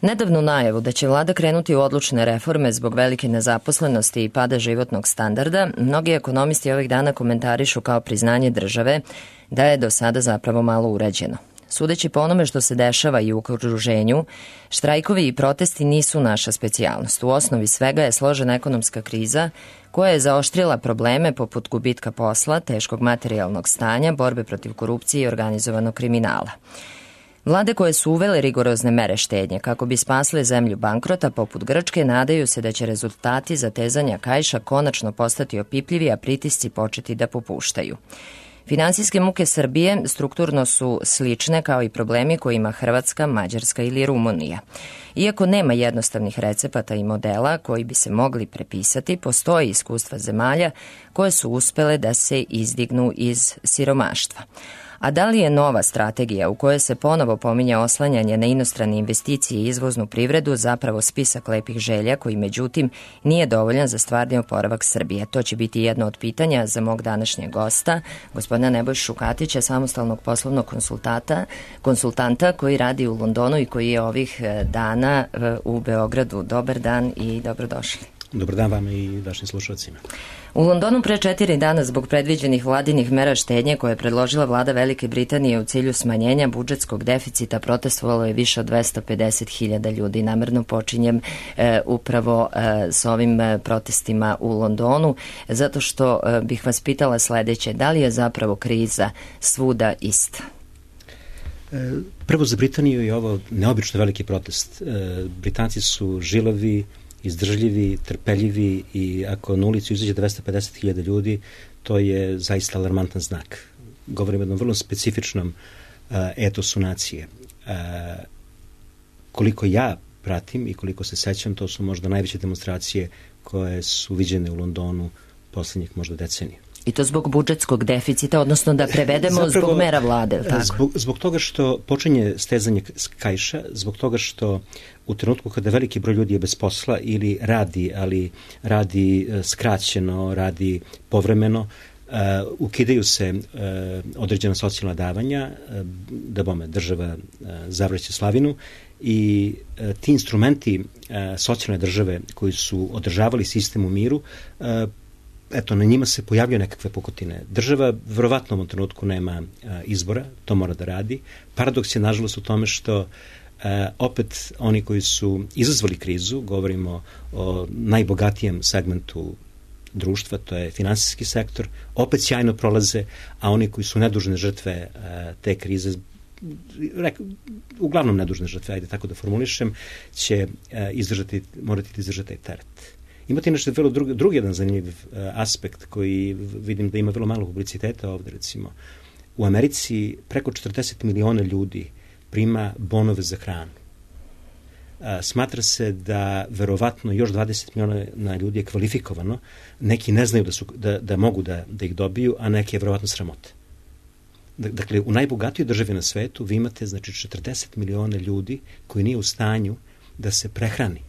Nedavnu najavu da će vlada krenuti u odlučne reforme zbog velike nezaposlenosti i pada životnog standarda, mnogi ekonomisti ovih dana komentarišu kao priznanje države da je do sada zapravo malo urađeno. Sudeći po onome što se dešava i u okruženju, štrajkovi i protesti nisu naša specijalnost. U osnovi svega je složena ekonomska kriza koja je zaoštrila probleme poput gubitka posla, teškog materijalnog stanja, borbe protiv korupcije i organizovanog kriminala. Vlade koje su uvele rigorozne mere štednje kako bi spasle zemlju bankrota poput Grčke nadaju se da će rezultati zatezanja kaiša konačno postati opipljivi, a pritisci početi da popuštaju. Finansijske muke Srbije strukturno su slične kao i problemi koje ima Hrvatska, Mađarska ili Rumunija. Iako nema jednostavnih recepata i modela koji bi se mogli prepisati, postoji iskustva zemalja koje su uspele da se izdignu iz siromaštva. A da li je nova strategija u kojoj se ponovo pominje oslanjanje na inostrane investicije i izvoznu privredu zapravo spisak lepih želja koji međutim nije dovoljan za stvarni oporavak Srbije? To će biti jedno od pitanja za mog današnjeg gosta, gospodina Nebojšu Katića, samostalnog poslovnog konsultanta koji radi u Londonu i koji je ovih dana u Beogradu. Dobar dan i dobrodošli. Dobar dan vama i vašim slušalcima. U Londonu pre 4 dana zbog predviđenih vladinih mera štednje koje je predložila vlada Velike Britanije u cilju smanjenja budžetskog deficita protestovalo je više od 250.000 ljudi. Namerno počinjem upravo s ovim protestima u Londonu, zato što bih vas pitala sledeće: da li je zapravo kriza svuda ista? Prvo, za Britaniju je ovo neobično veliki protest. Britanci su žilavi, izdržljivi, trpeljivi i ako na ulicu izađe 250.000 ljudi, to je zaista alarmantan znak. Govorimo o jednom vrlo specifičnom etosu nacije. Koliko ja pratim i koliko se sećam, to su možda najveće demonstracije koje su viđene u Londonu poslednjih možda decenija. I to zbog budžetskog deficita, odnosno da prevedemo zapravo, zbog mera vlade. Tako? Zbog toga što počinje stezanje kaiša, zbog toga što u trenutku kada veliki broj ljudi je bez posla ili radi, ali radi skraćeno, radi povremeno, ukidaju se određena socijalna davanja, da bome država zavraća slavinu i ti instrumenti socijalne države koji su održavali sistem u miru, eto, na njima se pojavljaju nekakve pukotine. Država verovatno u ovom trenutku nema izbora, to mora da radi. Paradoks je nažalost u tome što opet oni koji su izazvali krizu, govorimo o najbogatijem segmentu društva, to je finansijski sektor, opet sjajno prolaze, a oni koji su nedužne žrtve te krize, uglavnom nedužne žrtve, ajde tako da formulišem, će morati da izdržati taj teret. Imate nešto drugi jedan zanimljiv aspekt koji vidim da ima vrlo malo publiciteta ovde, recimo. U Americi preko 40 miliona ljudi prima bonove za hranu. Smatra se da verovatno još 20 miliona ljudi je kvalifikovano, neki ne znaju da mogu da ih dobiju, a neki je verovatno sramote. Dakle, u najbogatijoj državi na svetu vi imate 40 miliona ljudi koji nije u stanju da se prehrani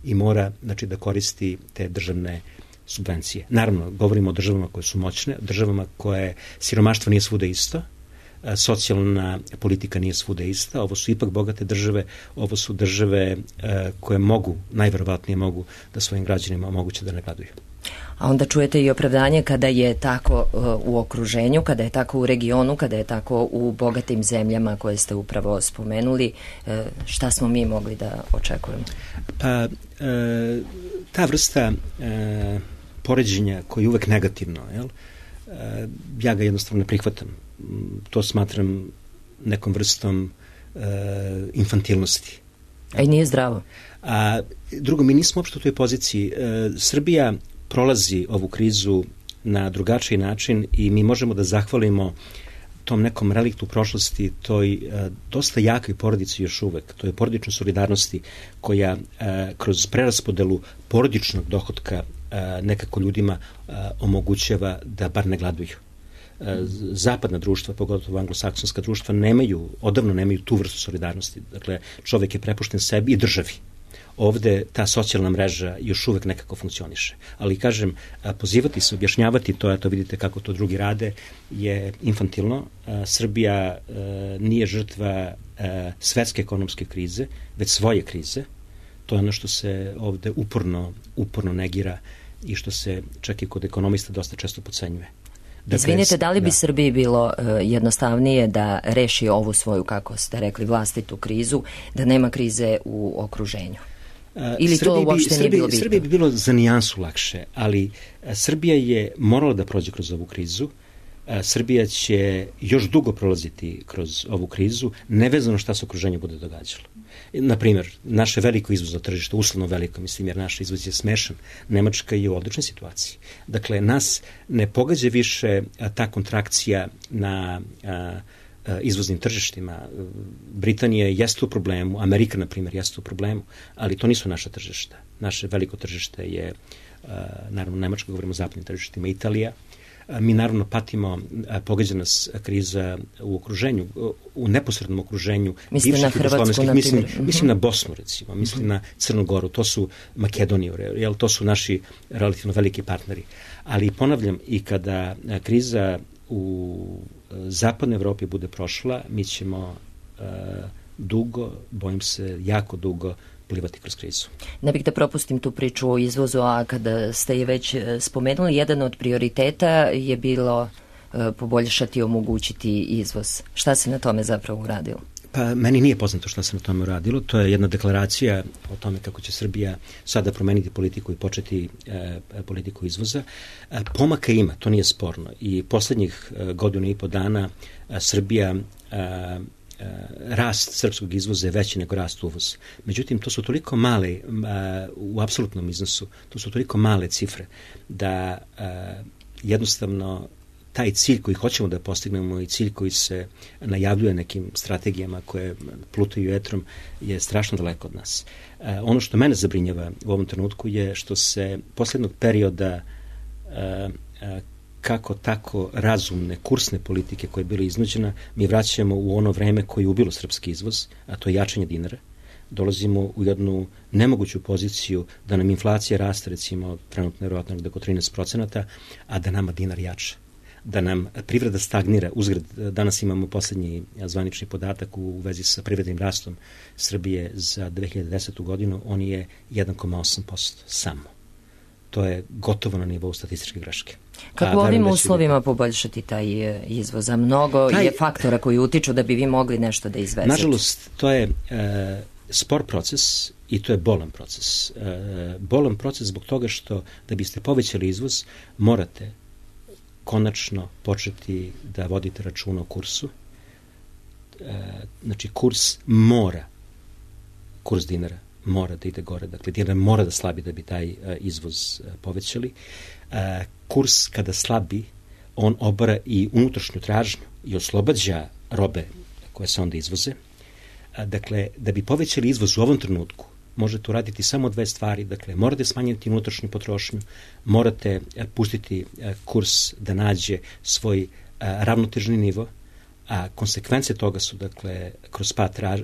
i mora da koristi te državne subvencije. Naravno, govorimo o državama koje su moćne, državama koje siromaštvo nije svuda isto, socijalna politika nije svuda ista, ovo su ipak bogate države, ovo su države koje najverovatnije mogu da svojim građanima omoguće da ne gladuju. A onda čujete i opravdanje kada je tako u okruženju, kada je tako u regionu, kada je tako u bogatim zemljama koje ste upravo spomenuli. Šta smo mi mogli da očekujemo? Pa, ta vrsta poređenja koja je uvek negativno, ja ga jednostavno ne prihvatam. To smatram nekom vrstom infantilnosti. A i nije zdravo. Drugo, mi nismo uopšte u toj poziciji. Srbija prolazi ovu krizu na drugačiji način i mi možemo da zahvalimo tom nekom reliktu prošlosti, toj dosta jakoj porodici još uvek, to je porodičnoj solidarnosti koja kroz preraspodelu porodičnog dohotka nekako ljudima omogućava da bar ne gladuju. Zapadna društva, pogotovo anglosaksonska društva, odavno nemaju tu vrstu solidarnosti. Dakle, čovek je prepušten sebi i državi. Ovde ta socijalna mreža još uvek nekako funkcioniše. Ali, kažem, pozivati se, objašnjavati to, eto vidite kako to drugi rade, je infantilno. Srbija nije žrtva svetske ekonomske krize, već svoje krize. To je ono što se ovde uporno negira i što se čak i kod ekonomista dosta često podcenjuje. Dakle, izvinite, da li bi Srbiji bilo jednostavnije da reši ovu svoju, kako ste rekli, vlastitu krizu, da nema krize u okruženju? Ili to uopšte nije bilo bitno? Srbiji bi bilo za nijansu lakše, ali Srbija je morala da prođe kroz ovu krizu. Srbija će još dugo prolaziti kroz ovu krizu, nevezano šta se okruženju bude događalo. Naprimjer, naše veliko izvozno tržište, uslovno veliko, mislim, jer naš izvoz je smešan. Nemačka je u odličnoj situaciji. Dakle, nas ne pogađa više ta kontrakcija na izvoznim tržištima. Britanija jeste u problemu, Amerika, na primjer, jeste u problemu, ali to nisu naša tržišta. Naše veliko tržište je, naravno, Nemačka, govorimo o zapadnim tržištima, Italija. Mi naravno patimo, pogađa nas kriza u okruženju, u neposrednom okruženju. Mislim na Hrvatsku, na primjer. Mislim na Bosnu, recimo, mislim na Crnu Goru, to su Makedoniju, jer to su naši relativno veliki partneri. Ali ponavljam, i kada kriza u zapadnoj Evropi bude prošla, mi ćemo dugo, bojim se, jako dugo plivati kroz krizu. Ne bih da propustim tu priču o izvozu, a kada ste je već spomenuli, jedan od prioriteta je bilo poboljšati i omogućiti izvoz. Šta se na tome zapravo uradilo? Pa meni nije poznato šta se na tome uradilo. To je jedna deklaracija o tome kako će Srbija sada promeniti politiku i početi politiku izvoza. Pomaka ima, to nije sporno. I poslednjih godinu i po dana Srbija rast srpskog izvoza je veći nego rast uvoza. Međutim, to su toliko male, u apsolutnom iznosu, to su toliko male cifre da jednostavno taj cilj koji hoćemo da postignemo i cilj koji se najavljuje nekim strategijama koje plutaju etrom je strašno daleko od nas. Ono što mene zabrinjava u ovom trenutku je što se posljednog perioda kako tako razumne kursne politike koje je bila iznuđena, mi vraćamo u ono vreme koje je ubilo srpski izvoz, a to je jačanje dinara. Dolazimo u jednu nemoguću poziciju da nam inflacija raste, recimo, trenutno je vjerojatno oko 13%, a da nama dinar jača. Da nam privreda stagnira. Uzgred, danas imamo poslednji zvanični podatak u vezi sa privrednim rastom Srbije za 2010. godinu, on je 1,8% samo. To je gotovo na nivou statističke greške. Kako ovim uslovima poboljšati taj izvoz? A mnogo je faktora koji utiču da bi vi mogli nešto da izvezete. Nažalost, to je spor proces i to je bolan proces. Bolan proces zbog toga što da biste povećali izvoz, morate konačno početi da vodite računa o kursu. Znači, kurs dinara mora da ide gore. Dakle, dinar mora da slabi da bi taj izvoz povećali. Kurs kada slabi, on obara i unutrašnju tražnju i oslobađa robe koje se onda izvoze. Dakle, da bi povećali izvoz u ovom trenutku, možete uraditi samo dve stvari. Dakle, morate smanjiti unutrašnju potrošnju, morate pustiti kurs da nađe svoj ravnotežni nivo, a konsekvence toga su, dakle,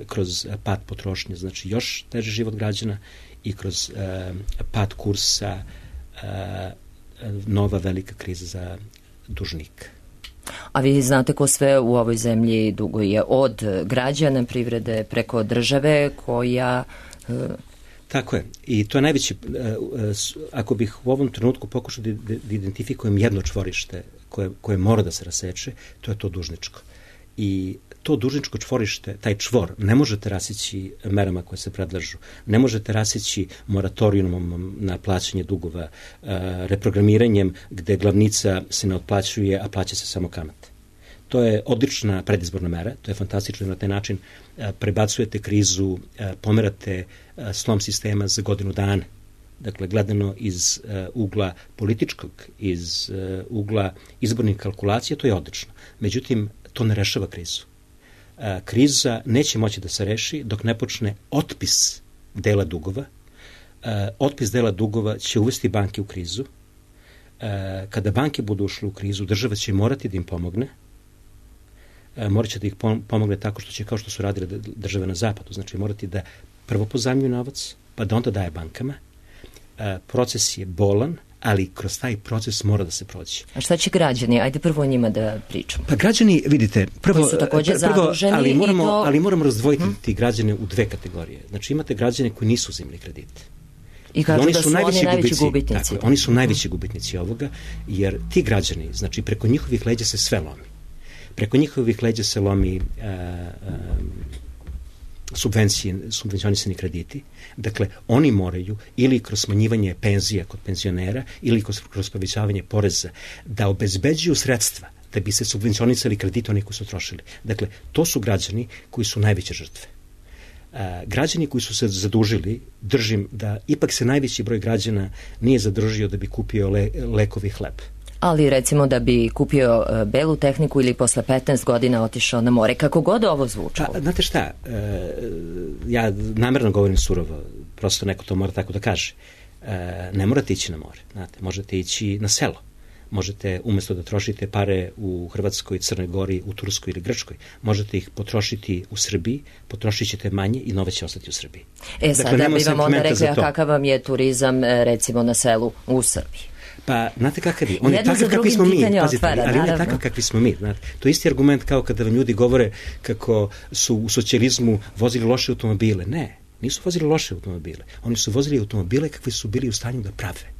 kroz pad potrošnje, znači još teži život građana i kroz pad kursa nova velika kriza za dužnika. A vi znate ko sve u ovoj zemlji duguje, od građana, privrede, preko države koja... Tako je. I to je najveći... Ako bih u ovom trenutku pokušao da identifikujem jedno čvorište koje mora da se raseče, to je to dužničko. I to dužničko čvorište, taj čvor, ne možete rasići merama koje se predlažu. Ne možete rasići moratorijumom na plaćanje dugova, reprogramiranjem gde glavnica se ne otplaćuje, a plaća se samo kamate. To je odlična predizborna mera, to je fantastično, na taj način prebacujete krizu, pomerate slom sistema za godinu dana. Dakle, gledano iz ugla političkog, iz ugla izbornih kalkulacija, to je odlično. Međutim, to ne rešava krizu. Kriza neće moći da se reši dok ne počne otpis dela dugova. Otpis dela dugova će uvesti banke u krizu. Kada banke budu ušle u krizu, država će morati da im pomogne. Morat će da ih pomogne tako što će, kao što su radile države na zapadu, znači morati da prvo pozajmljuju novac, pa da onda daje bankama. Proces je bolan, ali kroz taj proces mora da se prođe. A šta će građani? Ajde prvo o njima da pričamo. Pa građani, vidite, prvo, su takođe zaduženi, ali moramo razdvojiti ti građane u dve kategorije. Znači imate građane koji nisu uzimali kredite. I kažu da su oni najveći gubitnici. Tako, oni su najveći gubitnici ovoga, jer ti građani, znači preko njihovih leđa se sve lomi. Preko njihovih leđa se lomi subvencionisani krediti. Dakle, oni moraju ili kroz smanjivanje penzija kod penzionera ili kroz povećavanje poreza da obezbeđuju sredstva da bi se subvencionisali krediti oni koji su trošili. Dakle, to su građani koji su najveće žrtve. Građani koji su se zadužili, držim da ipak se najveći broj građana nije zadržio da bi kupio lekovi hleb. Ali recimo da bi kupio belu tehniku ili posle 15 godina otišao na more, kako god ovo zvučalo. Pa, znate šta, ja namerno govorim surovo, prosto neko to mora tako da kaže. Ne morate ići na more, znate, možete ići na selo. Možete, umesto da trošite pare u Hrvatskoj, Crnoj Gori, u Turskoj ili Grčkoj, možete ih potrošiti u Srbiji, potrošit ćete manje i nove će ostati u Srbiji. Sada bi vam onda rekli, a kakav vam je turizam recimo na selu u Srbiji? Pa, znate kakav je? On je takav kakvi smo mi, pazite, ali on je takav kakvi smo mi. Znate. To je isti argument kao kada vam ljudi govore kako su u socijalizmu vozili loše automobile. Ne, nisu vozili loše automobile. Oni su vozili automobile kakvi su bili u stanju da prave.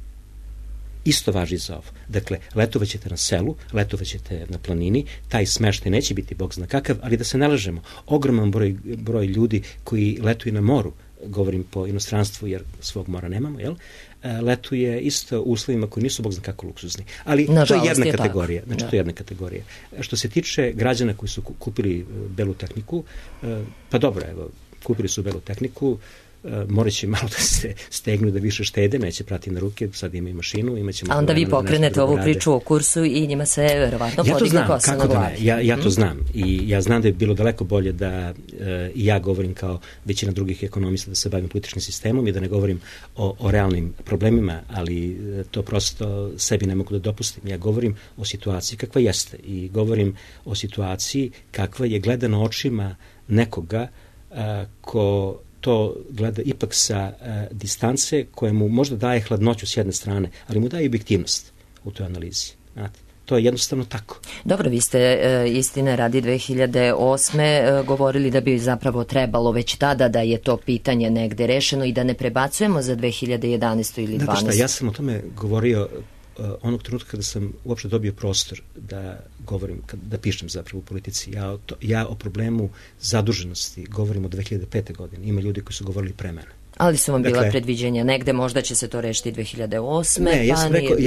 Isto važi za ovo. Dakle, letovaćete na selu, letovaćete na planini, taj smeštaj neće biti bog zna kakav, ali da se ne lažemo, ogroman broj ljudi koji letuju na moru, govorim po inostranstvu jer svog mora nemamo, jel? Letuje isto u uslovima koji nisu bog zna kako luksuzni. Ali to je jedna kategorija. Znači, to je jedna kategorija. Što se tiče građana koji su kupili belu tehniku, pa dobro, evo, kupili su belu tehniku, morat će malo da se stegnu, da više štede, neće prati na ruke, sad imaju mašinu, imaće... A onda vi pokrenete ovu priču o kursu i njima se verovatno podigne kosa na glavi. Ja to znam i ja znam da je bilo daleko bolje da i ja govorim kao većina drugih ekonomista da se bavim političkim sistemom i da ne govorim o realnim problemima, ali to prosto sebi ne mogu da dopustim. Ja govorim o situaciji kakva jeste i govorim o situaciji kakva je gledana očima nekoga ko to gleda ipak sa distance koja mu možda daje hladnoću s jedne strane, ali mu daje objektivnost u toj analizi. Znate, to je jednostavno tako. Dobro, vi ste istine radi 2008. govorili da bi zapravo trebalo već tada da je to pitanje negde rešeno i da ne prebacujemo za 2011. ili 2012. Znate šta, ja sam o tome govorio onog trenutka kada sam uopšte dobio prostor da govorim, da pišem zapravo u politici. Ja o problemu zaduženosti govorim od 2005. godine. Ima ljudi koji su govorili pre mene. Ali su vam bila predviđenja negde, možda će se to rešiti 2008. Ne, ja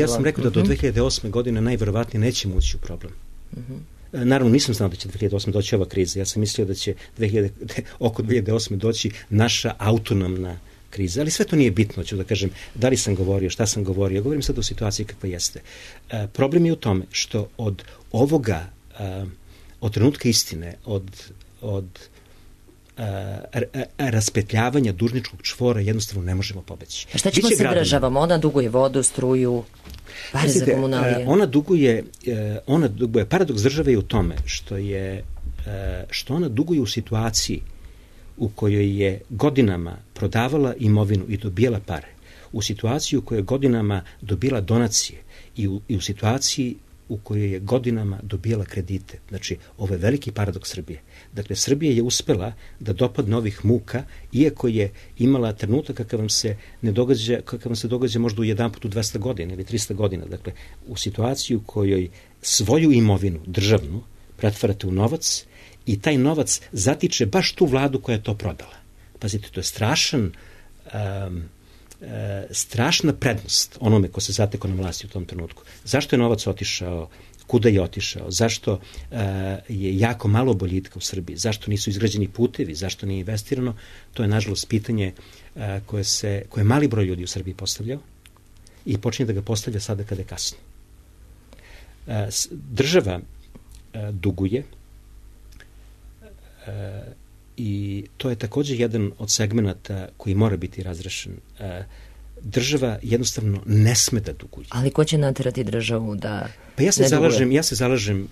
sam rekao da do 2008. godine najverovatnije nećemo ući u problem. Naravno, nisam znao da će 2008. doći ova kriza. Ja sam mislio da će oko 2008. doći naša autonomna kriza, ali sve to nije bitno, ću da kažem, da li sam govorio, šta sam govorio, govorim sad o situaciji kakva jeste. Problem je u tome što od ovoga, od trenutka istine, od raspetljavanja dužničkog čvora jednostavno ne možemo pobeći. A šta ćemo sa državom? Ona duguje vodu, struju, pare za komunalije. Ona duguje, paradoks države je u tome što ona duguje u situaciji u kojoj je godinama prodavala imovinu i dobijala pare, u situaciji u kojoj je godinama dobila donacije i u situaciji u kojoj je godinama dobijala kredite. Znači, ovo je veliki paradoks Srbije. Dakle, Srbija je uspela da dopadne ovih muka, iako je imala trenutak kakav vam se događa možda u jedan put u 200 godina ili 300 godina. Dakle, u situaciji u kojoj svoju imovinu, državnu, pretvarate u novac i taj novac zatiče baš tu vladu koja je to prodala. Pazite, to je strašna prednost onome ko se zatekao na vlasti u tom trenutku. Zašto je novac otišao, kuda je otišao, zašto je jako malo boljitka u Srbiji, zašto nisu izgrađeni putevi, zašto nije investirano, to je nažalost pitanje koje mali broj ljudi u Srbiji postavljao i počinje da ga postavlja sada kada je kasno. Država duguje i to je također jedan od segmenata koji mora biti razrešen. Država jednostavno ne sme da duguje. Ali ko će naterati državu da ja se zalažem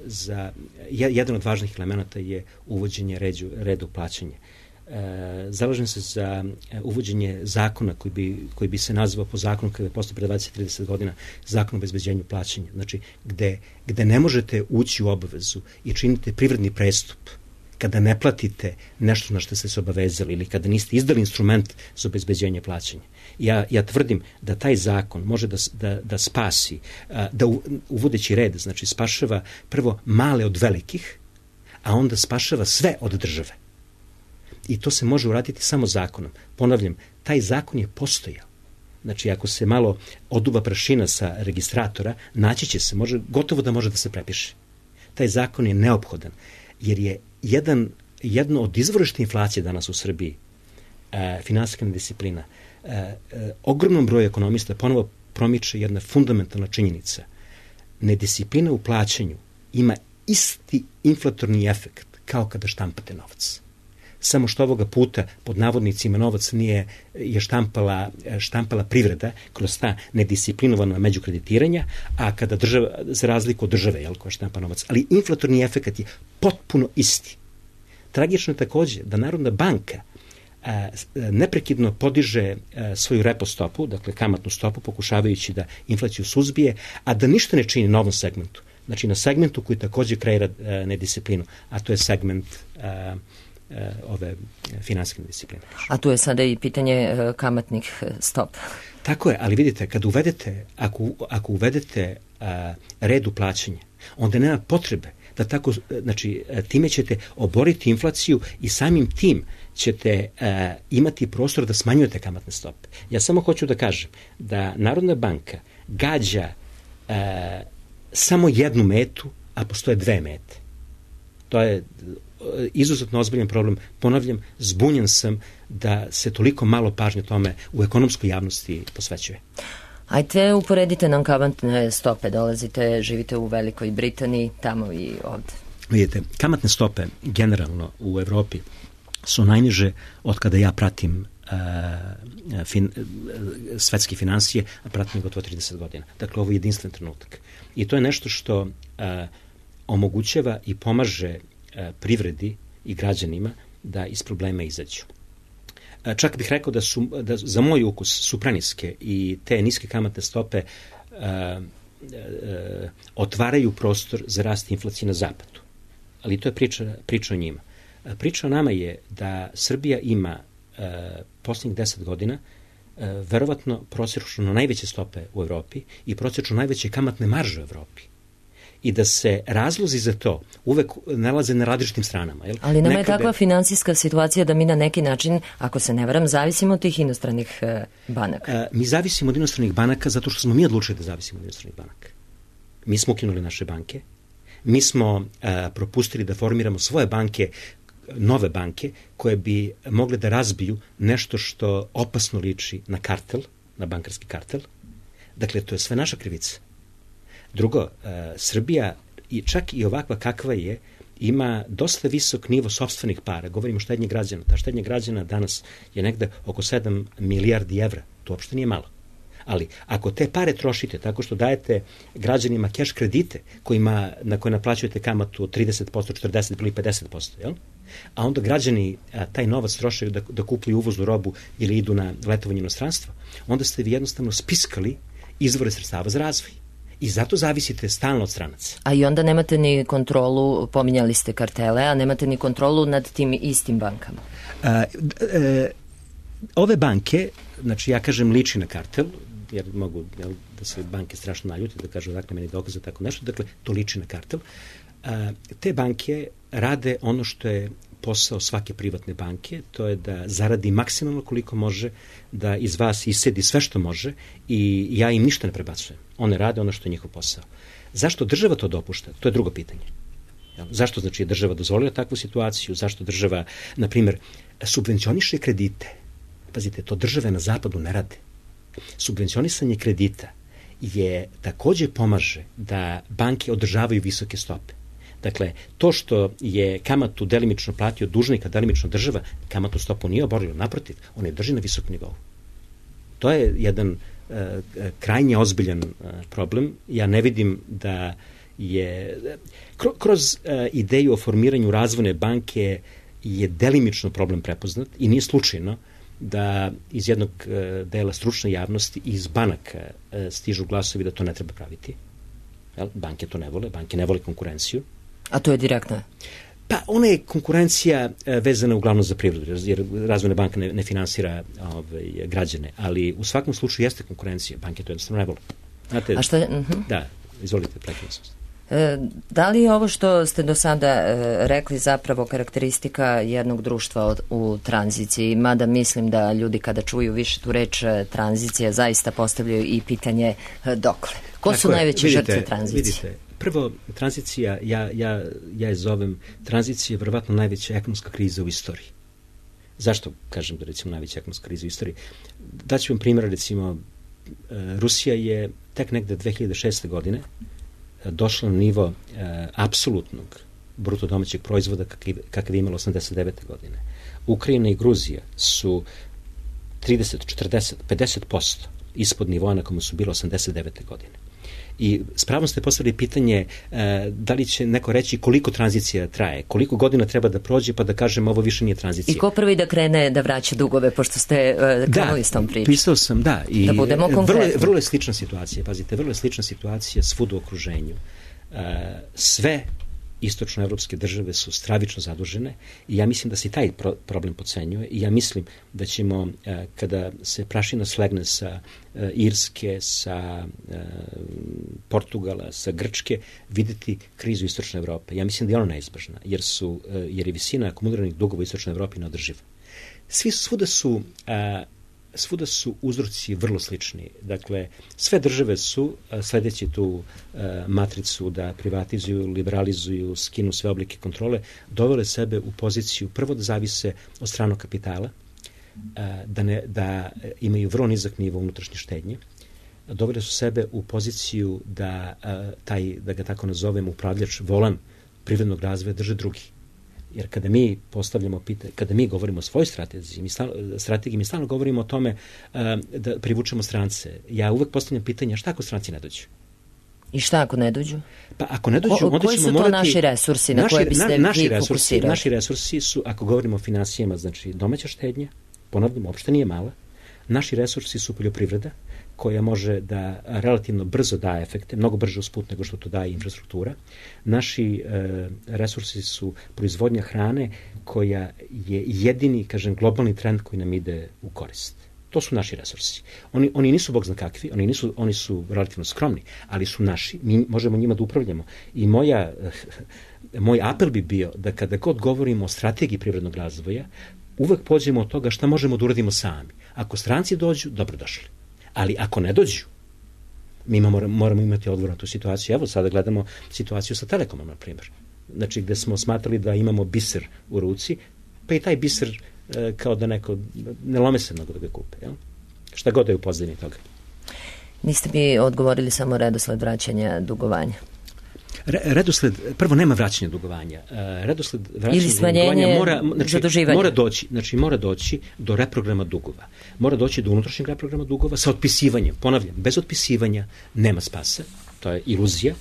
za jedan od važnih elemenata je uvođenje reda u plaćanje. zalažem se za uvođenje zakona koji bi se nazvao po zakonu kada je postao pre 20-30 godina zakon o obezbeđenju plaćanja. Znači, gde ne možete ući u obavezu i činite privredni prestup kada ne platite nešto na što ste se obavezali ili kada niste izdali instrument za obezbeđenje plaćanja. Ja tvrdim da taj zakon može da spasi, da uvodeći red, znači spašava prvo male od velikih, a onda spašava sve od države. I to se može uraditi samo zakonom. Ponavljam, taj zakon je postojao. Znači, ako se malo oduva prašina sa registratora, naći će se, gotovo da može da se prepiše. Taj zakon je neophodan, jer je jedno od izvorišta inflacije danas u Srbiji, finansijska nedisciplina. Ogromnom broju ekonomista ponovo promiče jedna fundamentalna činjenica. Nedisciplina u plaćanju ima isti inflatorni efekt kao kada štampate novac. Samo što ovoga puta, pod navodnicima, novac je štampala privreda kroz ta nedisciplinovana međukreditiranja, a kada država, za razliku od države, koja štampa novac, ali inflatorni efekt je potpuno isti. Tragično je takođe da Narodna banka neprekidno podiže svoju repo stopu, dakle kamatnu stopu, pokušavajući da inflaciju suzbije, a da ništa ne čini na ovom segmentu. Znači na segmentu koji takođe kreira nedisciplinu, a to je segment ove finansijske discipline. A tu je sada i pitanje kamatnih stopa. Tako je, ali vidite, kad uvedete, ako uvedete red u plaćanje, onda nema potrebe da tako, znači, time ćete oboriti inflaciju i samim tim ćete imati prostor da smanjujete kamatne stope. Ja samo hoću da kažem da Narodna banka gađa samo jednu metu, a postoje dve mete. To je izuzetno ozbiljan problem. Ponavljam, zbunjen sam da se toliko malo pažnje tome u ekonomskoj javnosti posvećuje. Ajde, uporedite nam kamatne stope. Živite u Velikoj Britaniji, tamo i ovde. Vidite, kamatne stope generalno u Evropi su najniže od kada ja pratim svetske finansije, a pratim gotovo 30 godina. Dakle, ovo je jedinstven trenutak. I to je nešto što omogućava i pomaže privredi i građanima da iz problema izađu. Čak bih rekao da za moj ukus su preniske i te niske kamatne stope otvaraju prostor za rast inflacije na zapadu. Ali to je priča o njima. Priča o nama je da Srbija ima posljednjih 10 godina verovatno prosječno najveće stope u Evropi i prosječno najveće kamatne marže u Evropi. I da se razlozi za to uvek nalaze na različitim stranama. Jel? Ali nama je takva finansijska situacija da mi na neki način, ako se ne varam, zavisimo od tih inostranih banaka. Mi zavisimo od inostranih banaka zato što smo mi odlučili da zavisimo od inostranih banaka. Mi smo ukinuli naše banke, mi smo propustili da formiramo svoje banke, nove banke, koje bi mogle da razbiju nešto što opasno liči na kartel, na bankarski kartel. Dakle, to je sve naša krivica. Drugo, Srbija, čak i ovakva kakva je, ima dosta visok nivo sopstvenih para. Govorimo o štednji građana. Ta štednja građana danas je negde oko 7 milijardi evra. To uopšte nije malo. Ali ako te pare trošite tako što dajete građanima keš kredite na koje naplaćujete kamatu od 30%, 40% ili 50%, jel? A onda građani taj novac troše da kupuju uvoznu robu ili idu na letovanje inostranstvo, onda ste vi jednostavno spiskali izvore sredstava za razvoj. I zato zavisite stalno od stranaca. A i onda nemate ni kontrolu, pominjali ste kartele, a nemate ni kontrolu nad tim istim bankama. Ove banke, znači ja kažem liči na kartel, jer mogu da se banke strašno naljuti, da kažu dakle meni dokaze tako nešto, dakle to liči na kartel. Te banke rade ono što je posao svake privatne banke, to je da zaradi maksimalno koliko može, da iz vas isedi sve što može i ja im ništa ne prebacujem. One rade ono što je njihov posao. Zašto država to dopušta? To je drugo pitanje. Zašto znači je država dozvolila takvu situaciju? Zašto država, na primjer, subvencioniše kredite? Pazite, to države na zapadu ne rade. Subvencionisanje kredita je takođe pomaže da banke održavaju visoke stope. Dakle, to što je kamatu delimično platio dužnik, a delimično država, kamatu stopu nije oborila, naprotiv, on je drži na visokom nivou. To je jedan krajnje ozbiljan problem. Ja ne vidim da je kroz ideju o formiranju razvojne banke je delimično problem prepoznat i nije slučajno da iz jednog dela stručne javnosti i iz banaka stižu glasovi da to ne treba praviti. Banke to ne vole, banke ne vole konkurenciju. A to je direktno? Pa ona je konkurencija vezana uglavnom za privredu, jer Razvojna banka ne finansira građane, ali u svakom slučaju jeste konkurencija, banke to jednostavno ne vole. Znate, a šta? Da, izvolite, prekinuo sam. Da li je ovo što ste do sada rekli zapravo karakteristika jednog društva u tranziciji, mada mislim da ljudi kada čuju više tu reč tranzicija zaista postavljaju i pitanje dokle? Ko su najveće žrtve tranzicije? Vidite, prvo, tranzicija, ja je zovem tranzicija verovatno najveća ekonomska kriza u istoriji. Zašto kažem da recimo najveća ekonomska kriza u istoriji? Daću vam primjer, recimo, Rusija je tek negde 2006. godine došla na nivo apsolutnog bruto domaćeg proizvoda kakav je imala 89. godine. Ukrajina i Gruzija su 30, 40, 50% ispod nivoa na komu su bilo 89. godine. I s pravom ste postavili pitanje da li će neko reći koliko tranzicija traje, koliko godina treba da prođe pa da kažemo ovo više nije tranzicija. I ko prvi da krene da vraća dugove, pošto ste krenuli s tom pričom? Pisao sam, da. I da budemo konkretni. Vrlo je slična situacija, pazite, vrlo je slična situacija svud u okruženju. Sve istočnoevropske države su stravično zadužene i ja mislim da se i taj problem podcenjuje i ja mislim da ćemo, kada se prašina slegne sa Irske, sa Portugala, sa Grčke, videti krizu istočne Evrope. Ja mislim da je ona neizbežna, jer je visina akumuliranih dugova u istočnoj Evropi neodrživa. Svuda su uzroci vrlo slični. Dakle, sve države su, sledeći tu matricu da privatizuju, liberalizuju, skinu sve oblike kontrole, dovele sebe u poziciju prvo da zavise od stranog kapitala, da imaju vrlo nizak nivo unutrašnje štednje, dovele su sebe u poziciju da ga tako nazovem, upravljač volan privrednog razvoja drže drugi. Jer kada mi postavljamo pitanje, kada mi govorimo o svojoj strategiji, mi stalno govorimo o tome da privučemo strance. Ja uvek postavljam pitanje, šta ako stranci ne dođu? I šta ako ne dođu? Pa ako ne dođu, onda ćemo morati... Koji su to naši resursi na koje biste vi fokusirali? Naši resursi su, ako govorimo o finansijama, znači domaća štednja, ponavljam, uopšte nije mala. Naši resursi su poljoprivreda, koja može da relativno brzo daje efekte, mnogo brže usput nego što to daje infrastruktura. Naši resursi su proizvodnja hrane koja je jedini, kažem, globalni trend koji nam ide u korist. To su naši resursi. Oni nisu bog zna kakvi, oni su relativno skromni, ali su naši. Mi možemo njima da upravljamo. I moj apel bi bio da kada god govorimo o strategiji privrednog razvoja, uvek pođemo od toga šta možemo da uradimo sami. Ako stranci dođu, dobrodošli. Ali ako ne dođu, mi moramo imati odgovor na tu situaciju. Evo, sada gledamo situaciju sa Telekomom, na primjer. Znači, gde smo smatrali da imamo biser u ruci, pa i taj biser kao da neko, ne lome se mnogo da ga kupe. Jel? Šta god je u pozadini toga. Niste mi odgovorili samo redosled vraćanja dugovanja. Redosled, prvo nema vraćanja dugovanja. Redosled vraćanja ili smanjenje zaduživanja. Mora doći do reprograma dugova. Mora doći do unutrašnjeg reprograma dugova sa otpisivanjem. Ponavljam, bez otpisivanja nema spasa, to je iluzija.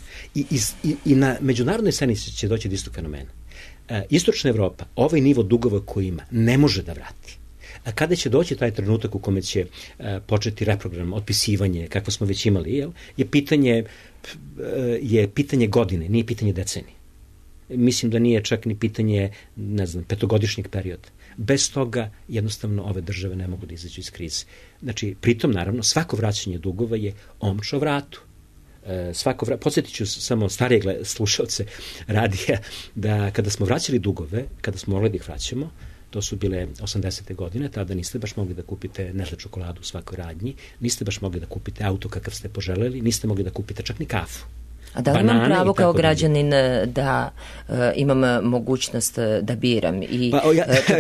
I na međunarodnoj scenici će doći do istog fenomena. Istočna Evropa ovaj nivo dugova koji ima ne može da vrati. A kada će doći taj trenutak u kome će početi reprogram, otpisivanje, kako smo već imali, je pitanje godine, nije pitanje decenije. Mislim da nije čak ni pitanje, ne znam, petogodišnjeg perioda. Bez toga jednostavno ove države ne mogu da izađu iz krize. Znači, pritom, naravno, svako vraćanje dugova je omča o vratu. Podsjetit ću samo starije slušalce radija da kada smo vraćali dugove, kada smo mogli da ih vraćamo, to su bile 80. godine, tada niste baš mogli da kupite Nestle čokoladu u svakoj radnji, niste baš mogli da kupite auto kakav ste poželeli, niste mogli da kupite čak ni kafu. A da li imam pravo kao građanin da imam mogućnost da biram i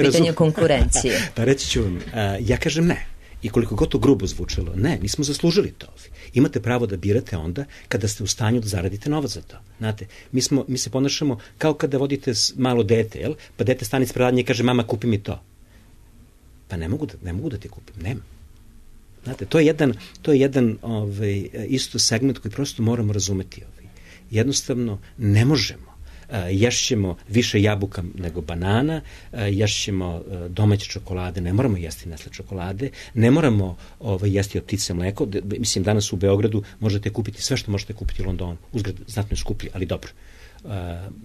pitanje konkurencije? Pa reći ću vam, ja kažem ne. I koliko god to grubo zvučalo, ne, nismo zaslužili to. Imate pravo da birate onda kada ste u stanju da zaradite novac za to. Znate, mi se ponašamo kao kada vodite malo dete, jel? Pa dete stane ispred radnje i kaže, mama, kupi mi to. Pa ne mogu da ti kupim, nema. Znate, to je jedan isto segment koji prosto moramo razumeti. Jednostavno, ne možemo. ješćemo više jabuka nego banana, ješćemo domaće čokolade, ne moramo jesti Nestle čokolade, ne moramo jesti od ptice mleko. Mislim, danas u Beogradu možete kupiti sve što možete kupiti u Londonu. Uzgled znatno je skuplji, ali dobro.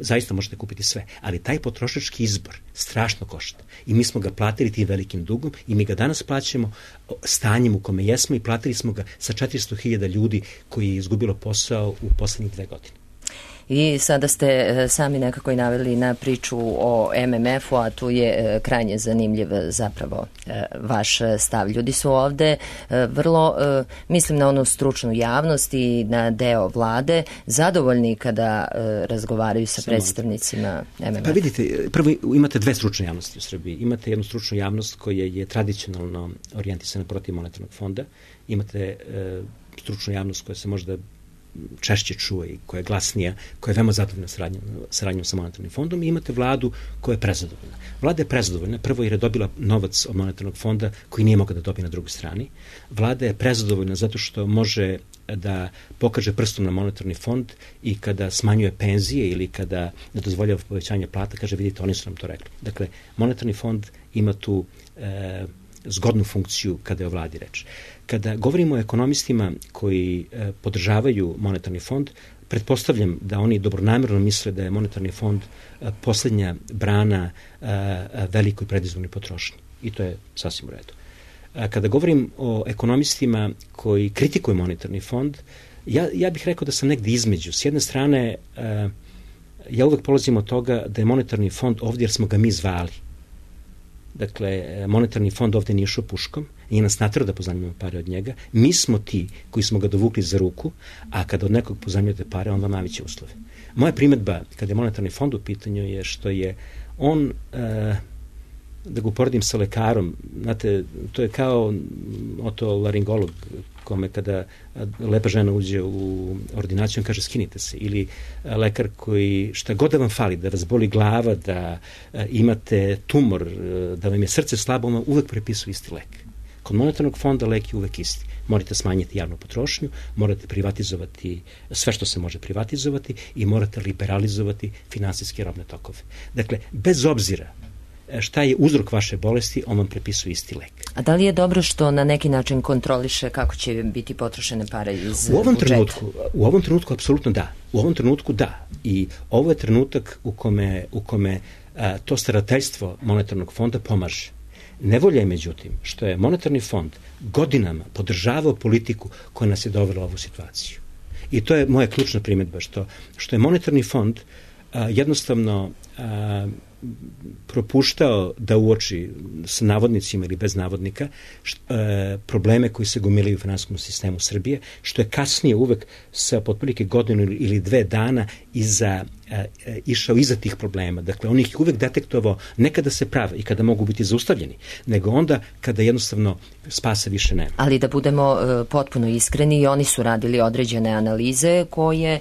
Zaista možete kupiti sve, ali taj potrošački izbor strašno košta i mi smo ga platili tim velikim dugom i mi ga danas plaćamo stanjem u kome jesmo i platili smo ga sa 400.000 ljudi koji je izgubilo posao u poslednjih 2 godine. I sada ste sami nekako i naveli na priču o MMF-u, a tu je krajnje zanimljiv zapravo vaš stav. Ljudi su ovde vrlo, mislim na onu stručnu javnost i na deo vlade, zadovoljni kada razgovaraju sa predstavnicima MMF-a. Pa vidite, prvo imate 2 stručne javnosti u Srbiji. Imate jednu stručnu javnost koja je tradicionalno orijentisana protiv monetarnog fonda. Imate stručnu javnost koja se možda češće čuje i koja je glasnija, koja je veoma zadovoljna saradnjom sa monetarnim fondom i imate vladu koja je prezadovoljna. Vlada je prezadovoljna, prvo jer je dobila novac od monetarnog fonda koji nije mogla da dobije na drugoj strani. Vlada je prezadovoljna zato što može da pokaže prstom na monetarni fond i kada smanjuje penzije ili kada ne dozvoljava povećanje plata, kaže vidite, oni su nam to rekli. Dakle, monetarni fond ima tu zgodnu funkciju kada je o vladi reč. Kada govorimo o ekonomistima koji podržavaju monetarni fond, pretpostavljam da oni dobronamerno misle da je monetarni fond poslednja brana velikoj predizbornoj potrošnji. I to je sasvim u redu. Kada govorim o ekonomistima koji kritikuju monetarni fond, ja bih rekao da sam negde između. S jedne strane, ja uvek polazim od toga da je monetarni fond ovdje jer smo ga mi zvali. Dakle, monetarni fond ovdje nije išao puškom, nije nas naterao da pozajmimo pare od njega. Mi smo ti koji smo ga dovukli za ruku, a kada od nekog pozajmljujete pare, on vam naviće uslove. Moja primedba, kada je monetarni fond u pitanju, je što je on, da ga uporedim sa lekarom, znate, to je kao otolaringolog kome kada lepa žena uđe u ordinaciju, on kaže skinite se, ili lekar koji šta god da vam fali, da vas boli glava, da imate tumor, da vam je srce slabo, on vam uvek prepisuje isti lek. Kod monetarnog fonda lek je uvek isti. Morate smanjiti javnu potrošnju, morate privatizovati sve što se može privatizovati i morate liberalizovati finansijske robne tokove. Dakle, bez obzira šta je uzrok vaše bolesti, on vam prepisuje isti lek. A da li je dobro što na neki način kontroliše kako će biti potrošene pare iz budžeta? U ovom trenutku apsolutno da. U ovom trenutku da. I ovo je trenutak u kome to starateljstvo monetarnog fonda pomaže. Nevolja je, međutim, što je monetarni fond godinama podržavao politiku koja nas je dovela u ovu situaciju. I to je moja ključna primedba, što je monetarni fond jednostavno propuštao da uoči s navodnicima ili bez navodnika probleme koji se gomilaju u finansijskom sistemu Srbije, što je kasnije uvek sa potprilike godinu ili 2 dana išao iza tih problema. Dakle, on ih uvek detektovao ne kada se prave i kada mogu biti zaustavljeni, nego onda kada jednostavno spasa više nema. Ali da budemo potpuno iskreni, oni su radili određene analize koje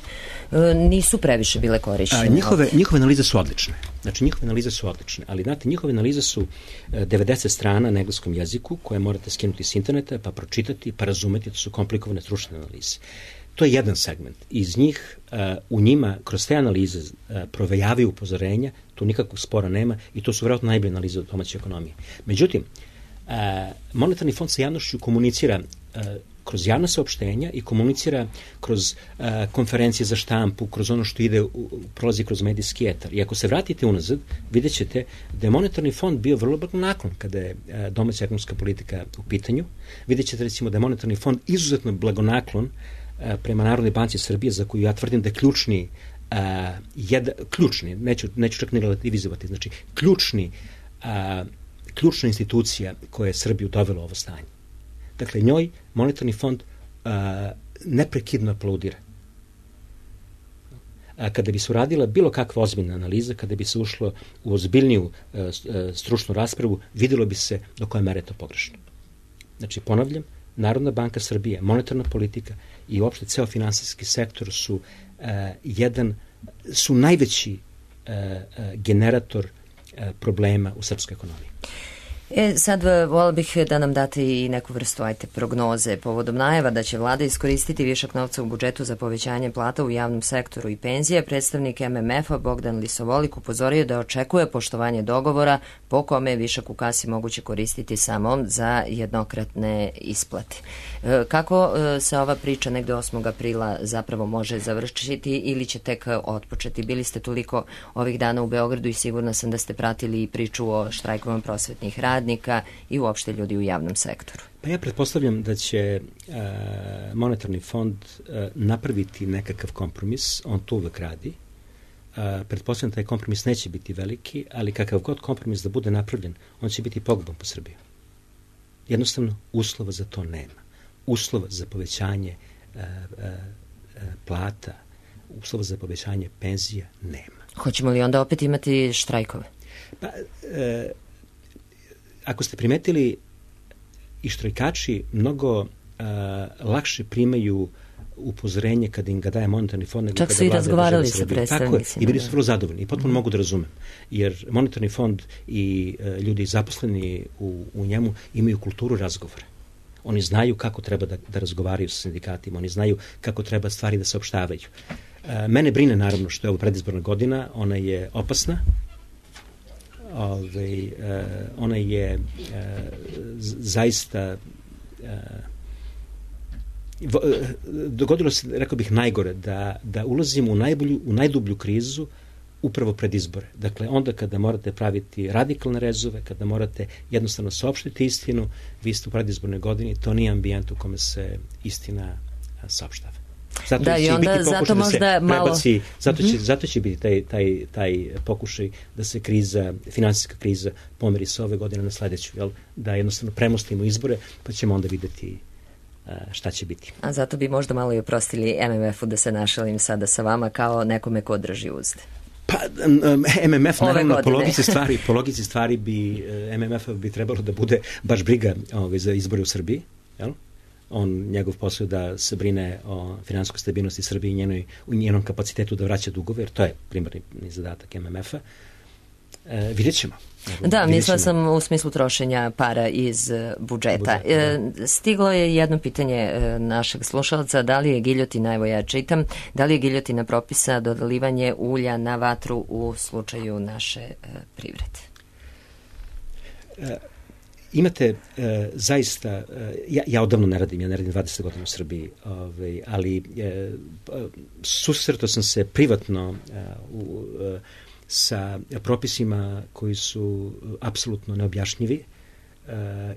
nisu previše bile korišćene. Njihove analize su odlične. Znači, njihove analize su odlične, ali znate, njihove analize su 90 strana na engleskom jeziku koje morate skinuti s interneta, pa pročitati, pa razumeti, to su komplikovane stručne analize. To je jedan segment. Iz njih, u njima, kroz te analize provejavaju upozorenja, tu nikakvog spora nema i to su vjerojatno najbolje analize od domaće ekonomije. Međutim, monetarni fond sa javnošću komunicira kroz javna saopštenja i komunicira kroz konferencije za štampu, kroz ono što prolazi kroz medijski etar. I ako se vratite unazad, vidjet ćete da je monetarni fond bio vrlo blagonaklon kada je domaća ekonomska politika u pitanju. Vidjet ćete recimo da je monetarni fond izuzetno blagonaklon prema Narodnoj banci Srbije, za koju ja tvrdim da je ključni, neću čak ni relativizovati, znači ključna institucija koja je Srbiju dovela u ovo stanje. Dakle, njoj monetarni fond neprekidno aplaudira. Kada bi se uradila bilo kakva ozbiljna analiza, kada bi se ušlo u ozbiljniju stručnu raspravu, vidjelo bi se do koje mere je to pogrešno. Znači, ponavljam, Narodna banka Srbije, monetarna politika i uopšte ceo finansijski sektor su najveći generator problema u srpskoj ekonomiji. Sad volila bih da nam date i neku vrstu prognoze povodom najava da će vlada iskoristiti višak novca u budžetu za povećanje plata u javnom sektoru i penzije. Predstavnik MMF-a Bogdan Lisovolik upozorio da očekuje poštovanje dogovora po kome je višak u kasi moguće koristiti samo za jednokratne isplate. Kako se ova priča negde 8. aprila zapravo može završiti ili će tek otpočeti? Bili ste toliko ovih dana u Beogradu i sigurna sam da ste pratili priču o štrajkovima prosvetnih radnika i uopšte ljudi u javnom sektoru. Pa ja pretpostavljam da će monetarni fond napraviti nekakav kompromis, on to uvek radi. Pretpostavljam da taj kompromis neće biti veliki, ali kakav god kompromis da bude napravljen, on će biti poguban po Srbiju. Jednostavno, uslova za to nema. Uslova za povećanje plata, uslova za povećanje penzija nema. Hoćemo li onda opet imati štrajkove? Pa, ako ste primetili, i štrajkači mnogo lakše primaju upozorenje kada im ga daje monetarni fond. Čak su i razgovarali sa predstavnicima. I bili su vrlo zadovoljni i potpuno mogu da razumem. Jer monetarni fond i ljudi zaposleni u njemu imaju kulturu razgovora. Oni znaju kako treba da razgovaraju sa sindikatima, oni znaju kako treba stvari da se opštavaju. Mene brine naravno što je ovo predizborna godina, ona je opasna, ona je zaista dogodilo se, rekao bih, najgore da ulazimo u najdublju krizu upravo pred izbore. Dakle, onda kada morate praviti radikalne rezove, kada morate jednostavno saopštiti istinu, vi ste u predizbornoj godini, to nije ambijent u kome se istina saopštava. Zato će biti taj pokušaj da se finansijska kriza pomeri sa ove godine na sledeću, da jednostavno premostimo izbore, pa ćemo onda videti šta će biti. A zato bi možda malo i oprostili MMF-u, da se našalim sada sa vama kao nekome ko drži uzde. Pa MMF naravno po logici stvari bi MMF bi trebalo da bude baš briga za izbore u Srbiji, jel? Njegov posao da se brine o finansijskoj stabilnosti Srbije i njenom kapacitetu da vraća dugove, jer to je primarni zadatak MMF-a. Vidjet ćemo. Da, mislila sam u smislu trošenja para iz budžeta. Stiglo je jedno pitanje našeg slušalca, da li je giljotina, evo ja čitam, da li je giljotina propisa dodalivanje ulja na vatru u slučaju naše privrede? Imate zaista, ja odavno ne radim 20 godina u Srbiji, ali susretao sam se privatno sa propisima koji su apsolutno neobjašnjivi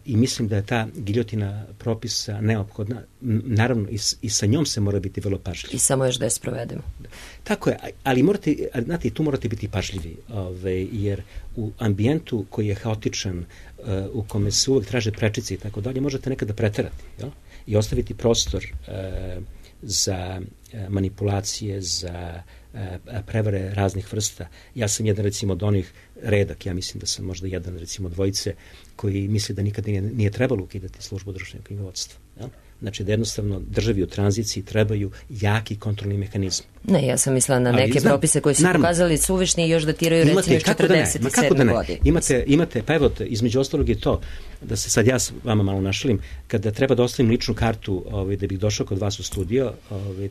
i mislim da je ta giljotina propisa neophodna. Naravno, i sa njom se mora biti vrlo pažljiv. I samo još da je sprovedemo. Tako je, ali znate, tu morate biti pažljivi, jer u ambijentu koji je haotičan, u kome se uvek traže prečice i tako dalje, možete nekada preterati, jel? I ostaviti prostor za manipulacije, za prevare raznih vrsta. Ja sam jedan, recimo, od onih redak, ja mislim da sam možda jedan, recimo, dvojice koji misle da nikada nije trebalo ukidati službu društvenog knjigovodstva. Ja? Znači da jednostavno državi u tranziciji trebaju jaki kontrolni mehanizmi. Ne, ja sam mislila na neke propise koji su pokazali suvišni i još datiraju recimo još 47. godine. Imate, pa evo, između ostalog je to, da se sad ja s vama malo našalim, kada treba da ostavim ličnu kartu da bih došao kod vas u studio,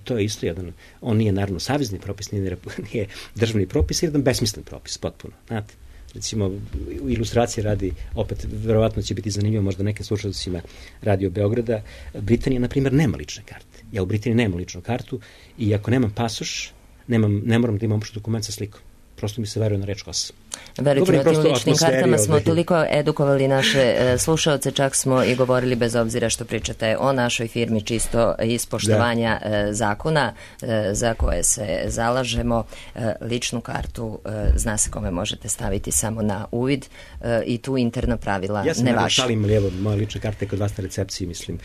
to je isto jedan, on nije naravno savezni propis, nije državni propis, jedan besmislen propis, potpuno, znate. Recimo, u ilustraciji radi, opet, verovatno će biti zanimljivo možda nekim slušalcima Radio Beograda, Britanija, na primjer, nema lične karte. Ja u Britaniji nemam ličnu kartu i ako nemam pasoš, ne moram da imam uopšte dokument sa slikom. Prosto mi se veruje na reč kosa. Verujte, na tim ličnim kartama smo toliko edukovali naše slušalce, čak smo i govorili, bez obzira što pričate o našoj firmi, čisto iz poštovanja zakona za koje se zalažemo. Ličnu kartu zna se kome možete staviti samo na uvid i tu interna pravila ne važi. Ja sam šalim lijevo, moja lična karta je kod vas na recepciji, mislim.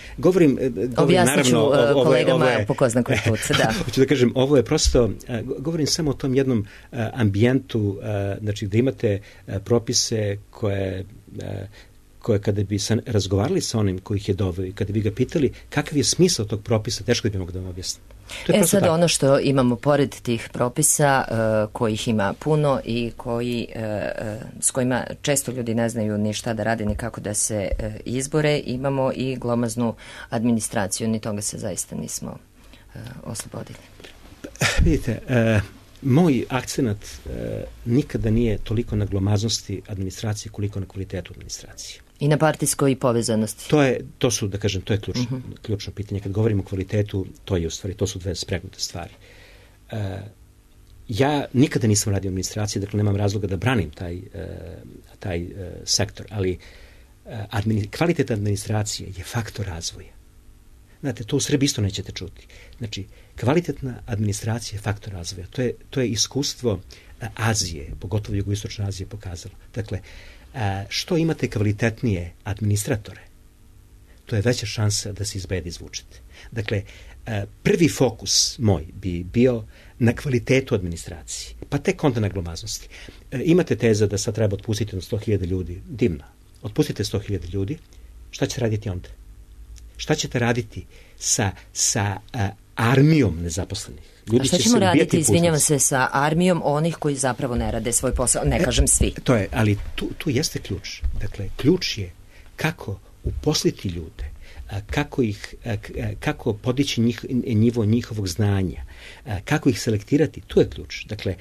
Objasnit ću kolegama po ko zna koji put. Hoću da kažem, ovo je prosto, govorim samo o tom jednom ambijentu, znači da imate propise koje kada bi razgovarali sa onim koji ih je doveo i kada bi ga pitali kakav je smisao tog propisa, teško bi mogu da vam objasnim. Sad ono što imamo pored tih propisa, kojih ima puno i s kojima često ljudi ne znaju ni šta da rade, ni kako da se izbore, imamo i glomaznu administraciju, ni toga se zaista nismo oslobodili. Vidite, moj akcenat nikada nije toliko na glomaznosti administracije koliko na kvalitetu administracije. I na partijskoj povezanosti. To su, da kažem, to je ključno pitanje. Kad govorimo o kvalitetu, to su dve spregnute stvari. Ja nikada nisam radio u administraciji, dakle nemam razloga da branim taj sektor, ali kvalitet administracije je faktor razvoja. Znate, to u Srbiji isto nećete čuti. Znači, kvalitetna administracija je faktor razvoja. To je iskustvo Azije, pogotovo jugoistočne Azije pokazalo. Dakle, što imate kvalitetnije administratore, to je veća šansa da se iz bede izvučete. Dakle, prvi fokus moj bi bio na kvalitetu administracije, pa tek onda na glomaznosti. Imate teza da sad treba otpustiti na 100.000 ljudi. Divno. Otpustite 100.000 ljudi, šta ćete raditi onda? Šta ćete raditi sa armijom nezaposlenih? A šta ćemo raditi, izvinjavam se, sa armijom onih koji zapravo ne rade svoj posao, ne kažem svi. To je, ali tu jeste ključ. Dakle, ključ je kako uposliti ljude, kako podići nivo njihovog znanja, kako ih selektirati, tu je ključ. Dakle,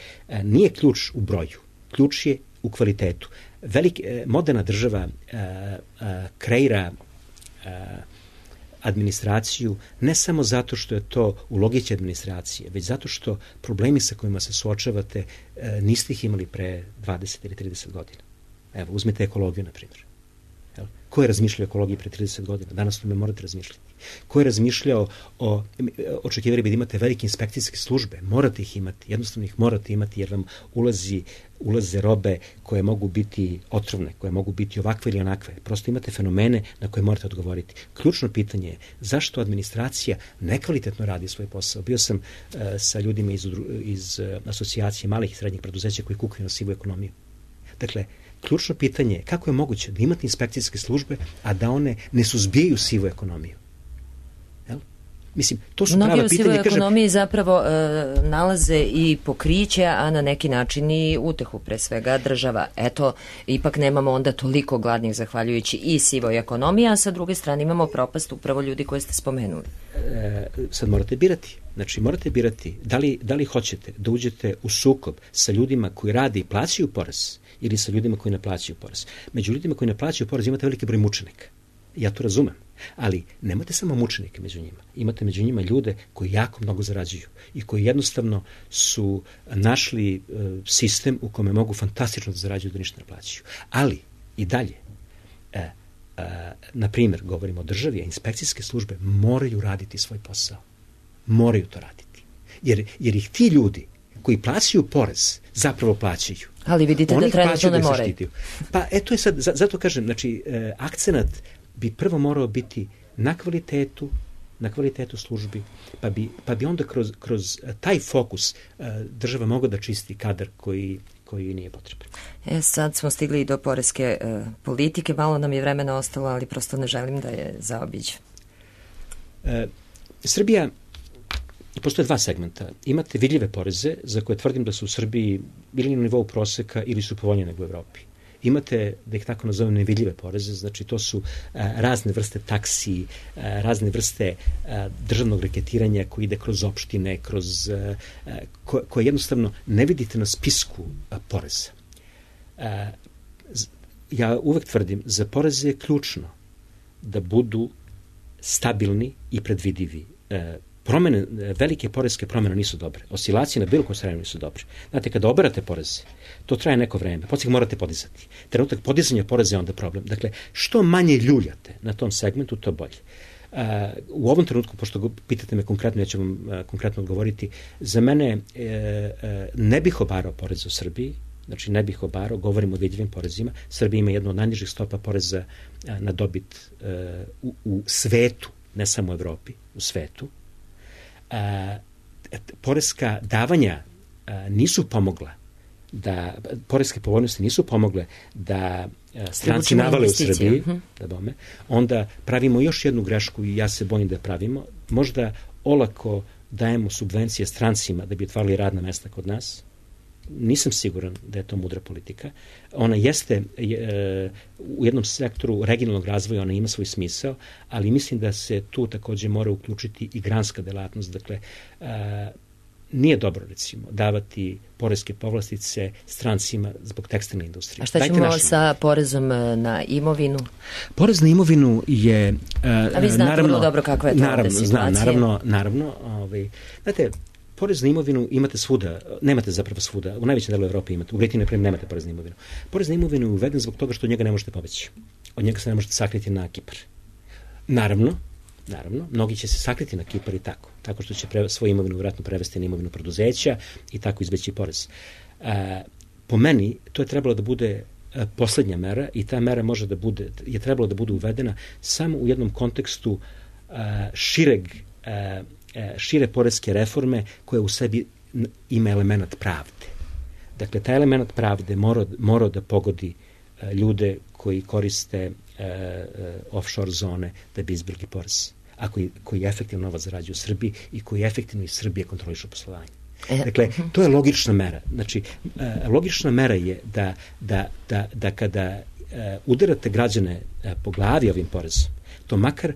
nije ključ u broju, ključ je u kvalitetu. Moderna država kreira administraciju ne samo zato što je to u logici administracije, već zato što problemi sa kojima se suočavate niste ih imali pre 20 ili 30 godina. Evo, uzmite ekologiju, na primjer. Ko je razmišljao o ekologiji pre 30 godina? Danas tome morate razmišljati. Ko je razmišljao očekivali bi da imate velike inspekcijske službe? Morate ih imati, jednostavno ih morate imati jer vam ulaze robe koje mogu biti otrovne, koje mogu biti ovakve ili onakve. Prosto imate fenomene na koje morate odgovoriti. Ključno pitanje je zašto administracija nekvalitetno radi svoj posao. Bio sam sa ljudima iz asocijacije malih i srednjih preduzeća koji kukaju na sivu ekonomiju. Dakle, ključno pitanje je kako je moguće da imate inspekcijske službe, a da one ne suzbijaju sivu ekonomiju. Jel? Mislim, to su prava pitanja. Mnogi u sivoj ekonomiji zapravo nalaze i pokriće, a na neki način i utehu, pre svega država. Eto, ipak nemamo onda toliko gladnih zahvaljujući i sivoj ekonomiji, a sa druge strane imamo propast upravo ljudi koje ste spomenuli. Sad morate birati. Znači, morate birati da li hoćete da uđete u sukob sa ljudima koji rade i plaćaju porez ili sa ljudima koji ne plaćaju porez. Među ljudima koji ne plaćaju porez imate veliki broj mučenika. Ja to razumem. Ali nemate samo mučenike među njima. Imate među njima ljude koji jako mnogo zarađuju i koji jednostavno su našli sistem u kome mogu fantastično da zarađuju da ništa ne plaćaju. Ali i dalje, na primjer, govorimo o državi, a inspekcijske službe moraju raditi svoj posao. Moraju to raditi. Jer ih ti ljudi koji plaćaju porez zapravo plaćaju. Ali vidite da trenutno ne moraju. Pa eto je sad, zato kažem, znači, akcenat bi prvo morao biti na kvalitetu službi, pa bi onda kroz taj fokus država mogla da čisti kadar koji nije potreban. Sad smo stigli i do poreske politike, malo nam je vremena ostalo, ali prosto ne želim da je zaobiđem. Srbija, postoje dva segmenta. Imate vidljive poreze za koje tvrdim da su u Srbiji ili na nivou proseka ili su povoljnije nego u Evropi. Imate, da ih tako nazovem, nevidljive poreze, znači to su razne vrste taksi, razne vrste državnog reketiranja koji ide kroz opštine, koje jednostavno ne vidite na spisku poreza. Ja uvek tvrdim, za poreze je ključno da budu stabilni i predvidivi. Velike poreske promjene nisu dobre. Oscilacije na bilo kojoj strani nisu dobre. Znate, kada oberate poreze, to traje neko vreme. Poslije ih morate podizati. Trenutak podizanja poreza je onda problem. Dakle, što manje ljuljate na tom segmentu, to bolje. U ovom trenutku, pošto pitate me konkretno, ja ću vam konkretno odgovoriti, za mene ne bih obarao porez u Srbiji, znači ne bih obarao, govorim o vidljivim porezima. Srbija ima jednu od najnižih stopa poreza na dobit u svetu, ne samo u Evropi, u svetu. Poreska davanja nisu pomogla poreske povoljnosti nisu pomogle da stranci navale u Srbiji, onda pravimo još jednu grešku i ja se bojim da pravimo. Možda olako dajemo subvencije strancima da bi otvarali radna mesta kod nas, nisam siguran da je to mudra politika. Ona jeste u jednom sektoru regionalnog razvoja, ona ima svoj smisao, ali mislim da se tu takođe mora uključiti i granska delatnost. Dakle, nije dobro, recimo, davati poreske povlastice strancima zbog tekstilne industrije. A šta ćemo sa porezom na imovinu? Porez na imovinu je... A vi znate vrlo dobro kakva je to ovde situacija. Naravno. Znate, porez na imovinu imate svuda, nemate zapravo svuda, u najvećem delu Evrope imate, u Britaniji, na primjer, nemate porez na imovinu. Porez na imovinu je uveden zbog toga što od njega ne možete pobeći. Od njega se ne možete sakriti na Kipar. Naravno, mnogi će se sakriti na Kipar i tako što će svoju imovinu vjerojatno prevesti na imovinu preduzeća i tako izbeći porez. Po meni, to je trebalo da bude poslednja mera i ta mera je trebalo da bude uvedena samo u jednom kontekstu šire poreske reforme koja u sebi ima element pravde. Dakle, taj element pravde mora da pogodi ljude koji koriste offshore zone da bi izbjegli porez, a koji efektivno novac zarađuju u Srbiji i koji efektivno iz Srbije kontrolišu poslovanje. Dakle, to je logična mera. Znači, logična mera je da kada udarate građane po glavi ovim porezom, to makar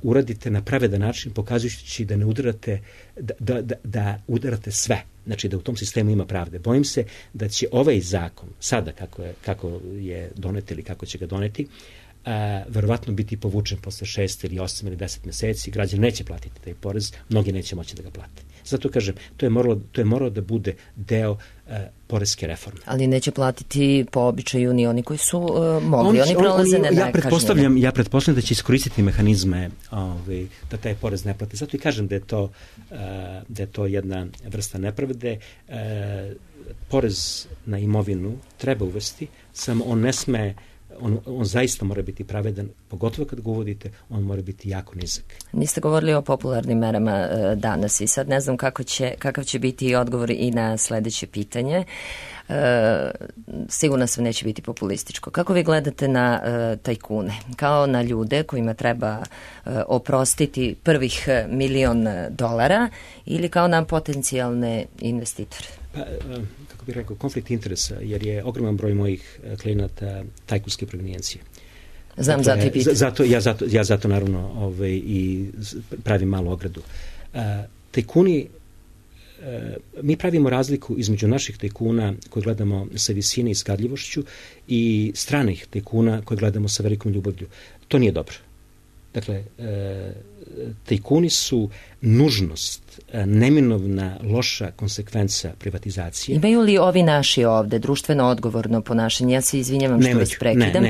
uradite na pravedan način, pokazujući da ne udarate, da udarate sve. Znači, da u tom sistemu ima pravde. Bojim se da će ovaj zakon, sada kako je donet ili kako će ga doneti, verovatno biti povučen posle 6 ili 8 ili 10 meseci, građan neće platiti taj porez, mnogi neće moći da ga plate. Zato kažem, to je moralo da bude deo poreske reforme. Ali neće platiti po običaju ni oni koji su mogli, oni prolaze nekažnjeni. Ja pretpostavljam da će iskoristiti mehanizme da taj porez ne plati. Zato i kažem da je to jedna vrsta nepravde. Porez na imovinu treba uvesti, samo on ne sme, on zaista mora biti pravedan, pogotovo kad ga uvodite, on mora biti jako nizak. Niste govorili o popularnim merama danas i sad ne znam kakav će biti odgovor i na sledeće pitanje. Sigurno sve neće biti populističko. Kako vi gledate na tajkune? Kao na ljude kojima treba oprostiti prvih $1.000.000 ili kao na potencijalne investitore? Pa, kako bih rekao, konflikt interesa, jer je ogroman broj mojih klijenata tajkunske provenijencije. Znam, zato i pitam. Ja zato naravno i pravim malu ogradu. Tajkuni, mi pravimo razliku između naših tajkuna koje gledamo sa visine i skadljivošću i stranih tajkuna koje gledamo sa velikom ljubavlju. To nije dobro. Dakle, tajkuni su nužnost, neminovna loša konsekvenca privatizacije. Imaju li ovi naši ovde društveno odgovorno ponašanje? Ja se izvinjavam što vas prekidam.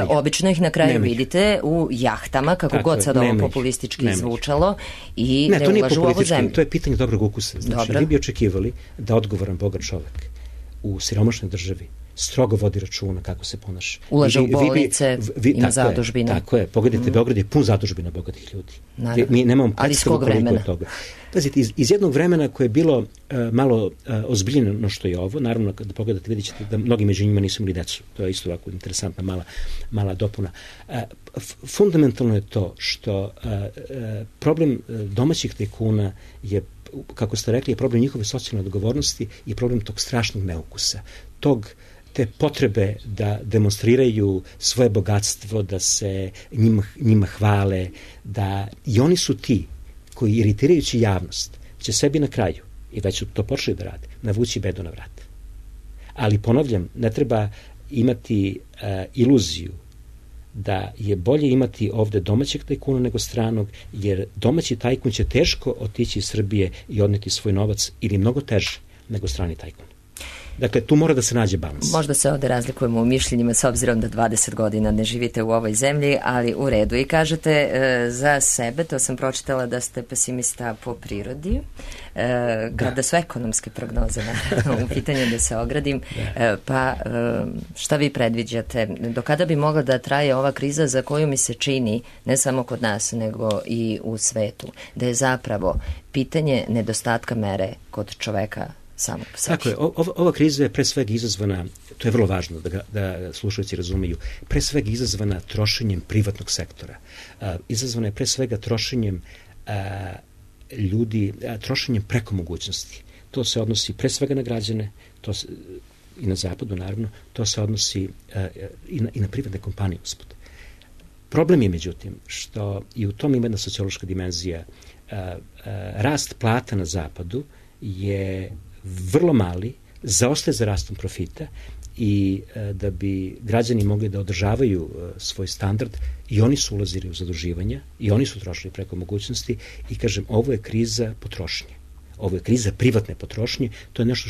Obično ih na kraju vidite u jahtama, kako god sad ovo populistički zvučalo, i ne ulažu u ovu zemlju. To je pitanje dobrog ukusa. Znači, vi bi očekivali da odgovoran bogat čovek u siromašnoj državi strogo vodi računa kako se ponaša. Ulaže u bolnice, ima zadužbina. Tako je. Pogledajte, Beograd je pun zadužbina bogatih ljudi. Mi nemamo predstavu koliko je toga. Pazite, iz jednog vremena koje je bilo malo ozbiljeno što je ovo, naravno kada pogledate vidjet ćete da mnogi među njima nisu imali decu. To je isto ovako interesantna mala dopuna. Fundamentalno je to što problem domaćih tajkuna je, kako ste rekli, je problem njihove socijalne odgovornosti i problem tog strašnog neukusa. Te potrebe da demonstriraju svoje bogatstvo, da se njima hvale, i oni su ti koji, iritirajući javnost, će sebi na kraju, i već su to počeli da rade, navući bedu na vrat. Ali ponavljam, ne treba imati iluziju da je bolje imati ovde domaćeg tajkuna nego stranog, jer domaći tajkun će teško otići iz Srbije i odneti svoj novac, ili mnogo teže nego strani tajkun. Dakle, tu mora da se nađe balans. Možda se ovde razlikujemo u mišljenjima s obzirom da 20 godina ne živite u ovoj zemlji, ali u redu. I kažete za sebe, to sam pročitala da ste pesimista po prirodi, kada su ekonomske prognoze u pitanju, da se ogradim, pa šta vi predviđate? Do kada bi mogla da traje ova kriza za koju mi se čini, ne samo kod nas, nego i u svetu, da je zapravo pitanje nedostatka mere kod čoveka samog po sebi? Tako je, ova kriza je pre svega izazvana, to je vrlo važno da slušalci razumeju, pre svega izazvana trošenjem privatnog sektora. Izazvana je pre svega trošenjem ljudi trošenjem preko mogućnosti. To se odnosi pre svega na građane, i na zapadu naravno, to se odnosi i na privatne kompanije usput. Problem je međutim što i u tom ima jedna sociološka dimenzija. Rast plata na zapadu je vrlo mali, zaostaje za rastom profita i da bi građani mogli da održavaju svoj standard i oni su ulazili u zaduživanja i oni su trošili preko mogućnosti i kažem, ovo je kriza potrošnje. Ovo je kriza privatne potrošnje, to je nešto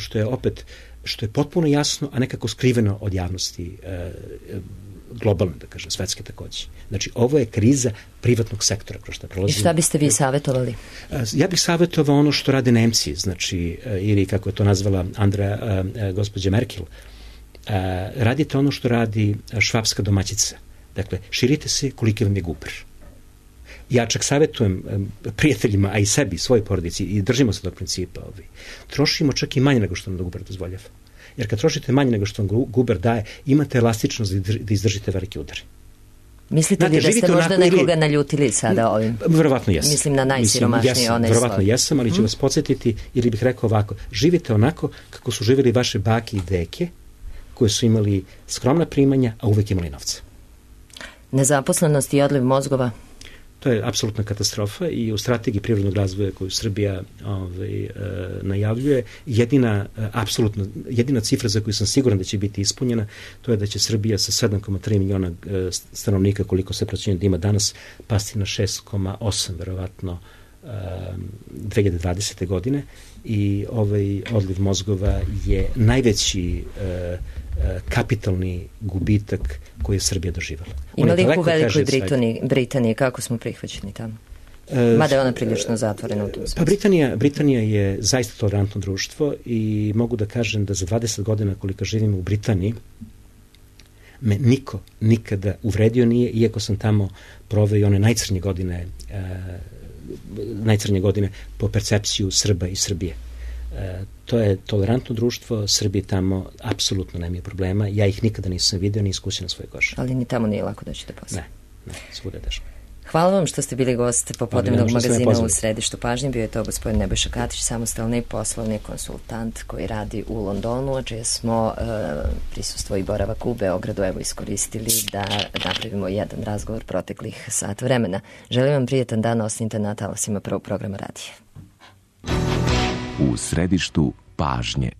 što je potpuno jasno, a nekako skriveno od javnosti globalno, da kažem, svetske takođe. Znači, ovo je kriza privatnog sektora kroz što prolazimo. I šta biste vi savjetovali? Ja bih savjetovao ono što rade Nemci, znači, ili kako je to nazvala gospođa Merkel, radite ono što radi švapska domaćica. Dakle, širite se koliki vam je guber. Ja čak savjetujem prijateljima, a i sebi, svojoj porodici, i držimo se tog principa. Trošimo čak i manje nego što nam guber dozvoljava. Jer kad trošite manje nego što vam guber daje, imate elastičnost da izdržite velike udare. Mislite li da ste možda nekoga naljutili sada ovim? Verovatno jesam. Mislim na najsiromašniji onaj sloj. Verovatno jesam, ali ću vas podsjetiti, ili bih rekao ovako, živite onako kako su živjeli vaše bake i deke, koje su imali skromna primanja, a uvek imali novca. Nezaposlenost i odliv mozgova? To je apsolutna katastrofa i u strategiji privrednog razvoja koju Srbija najavljuje, jedina cifra za koju sam siguran da će biti ispunjena, to je da će Srbija sa 7,3 miliona stanovnika, koliko se procjenjuje da ima danas, pasti na 6,8 verovatno 2020. godine i ovaj odliv mozgova je najveći kapitalni gubitak koji je Srbija doživala. Ima li u Velikoj Britaniji, kako smo prihvaćeni tamo? Mada je ona prilično zatvorena u tom smislu. Pa Britanija je zaista tolerantno društvo i mogu da kažem da za 20 godina koliko živim u Britaniji me niko nikada uvredio nije, iako sam tamo proveo i one najcrnje godine po percepciju Srba i Srbije. To je tolerantno društvo, Srbije tamo apsolutno nema problema, ja ih nikada nisam video ni iskusio na svojoj koži. Ali ni tamo nije lako doći do posla. Ne, svuda je teško. Hvala vam što ste bili gost popodnevnog magazina u Središtu pažnje. Bio je to gospodin Nebojša Katić, samostalni poslovni konsultant koji radi u Londonu, a čije smo prisustvo i boravak u Beogradu iskoristili da napravimo jedan razgovor proteklih sat vremena. Želim vam prijetan dan, ostanite na talasima Prvog programa radija. U Središtu pažnje.